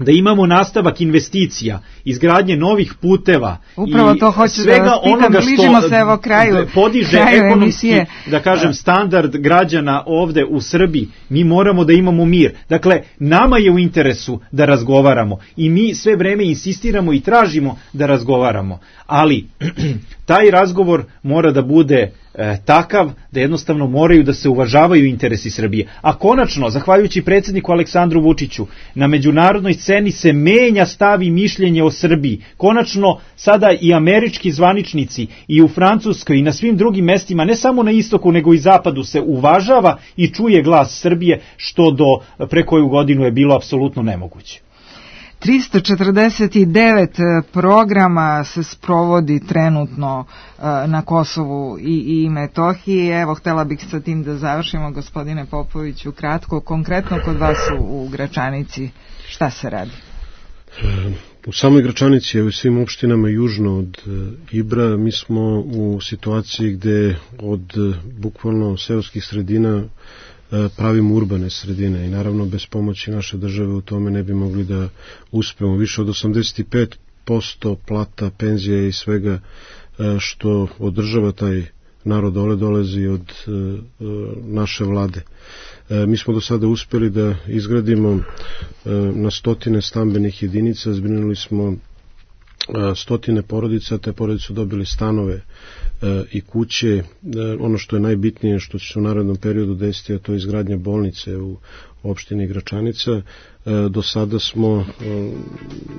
da imamo nastavak investicija, izgradnje novih puteva upravo i to hoću svega da vas pitam, onoga što se evo kraju podiže ekonomski, da kažem, standard građana ovde u Srbiji, mi moramo da imamo mir. Dakle, nama je u interesu da razgovaramo i mi sve vreme insistiramo i tražimo da razgovaramo, ali taj razgovor mora da bude takav da jednostavno moraju da se uvažavaju interesi Srbije. A konačno, zahvaljujući predsjedniku Aleksandru Vučiću, na međunarodnoj sceni se menja stav i mišljenje o Srbiji. Konačno, sada i američki zvaničnici i u Francuskoj i na svim drugim mestima, ne samo na istoku nego i zapadu, se uvažava i čuje glas Srbije, što do pre koju godinu je bilo apsolutno nemoguće. 349 programa se sprovodi trenutno na Kosovu i Metohiji. Evo, htela bih sa tim da završimo, gospodine Popoviću, kratko, konkretno kod vas u Gračanici, šta se radi? U samoj Gračanici i u svim opštinama južno od Ibra mi smo u situaciji gde od bukvalno seoskih sredina pravimo urbane sredine i naravno bez pomoći naše države u tome ne bi mogli da uspemo. Više od 85% plata, penzije i svega što održava taj narod dolazi od naše vlade. Mi smo do sada uspeli da izgradimo na stotine stambenih jedinica, zbrinuli smo stotine porodica, te porodice su dobili stanove i kuće. Ono što je najbitnije, što će se u narednom periodu desiti, a to je izgradnja bolnice u opštini Gračanica. Do sada smo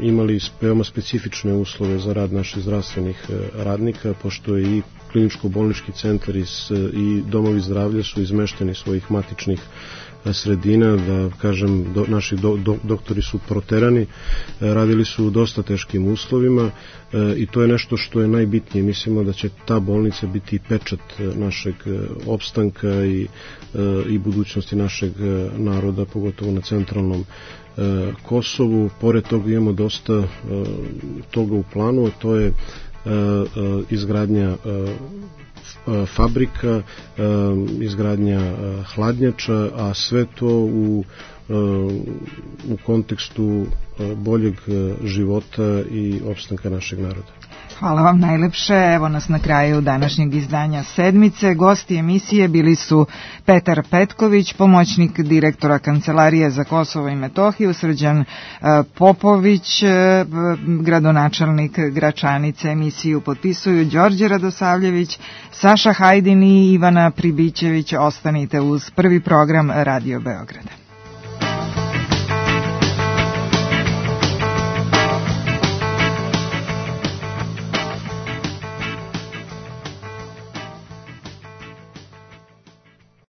imali veoma specifične uslove za rad naših zdravstvenih radnika, pošto je i kliničko-bolnički centar i domovi zdravlja su izmešteni svojih matičnih sredina, da kažem, naši doktori su proterani, radili su u dosta teškim uslovima i to je nešto što je najbitnije. Mislimo da će ta bolnica biti pečat našeg opstanka i budućnosti našeg naroda, pogotovo na centralnom Kosovu. Pored toga imamo dosta toga u planu, a to je izgradnja fabrika, izgradnja hladnjača, a sve to u kontekstu boljeg života i opstanka našeg naroda. Hvala vam najlepše. Evo nas na kraju današnjeg izdanja Sedmice. Gosti emisije bili su Petar Petković, pomoćnik direktora Kancelarije za Kosovo i Metohiju, Srđan Popović, gradonačelnik Gračanice. Emisiju potpisuju Đorđe Radosavljević, Saša Hajdin i Ivana Pribićević. Ostanite uz prvi program Radio Beograda.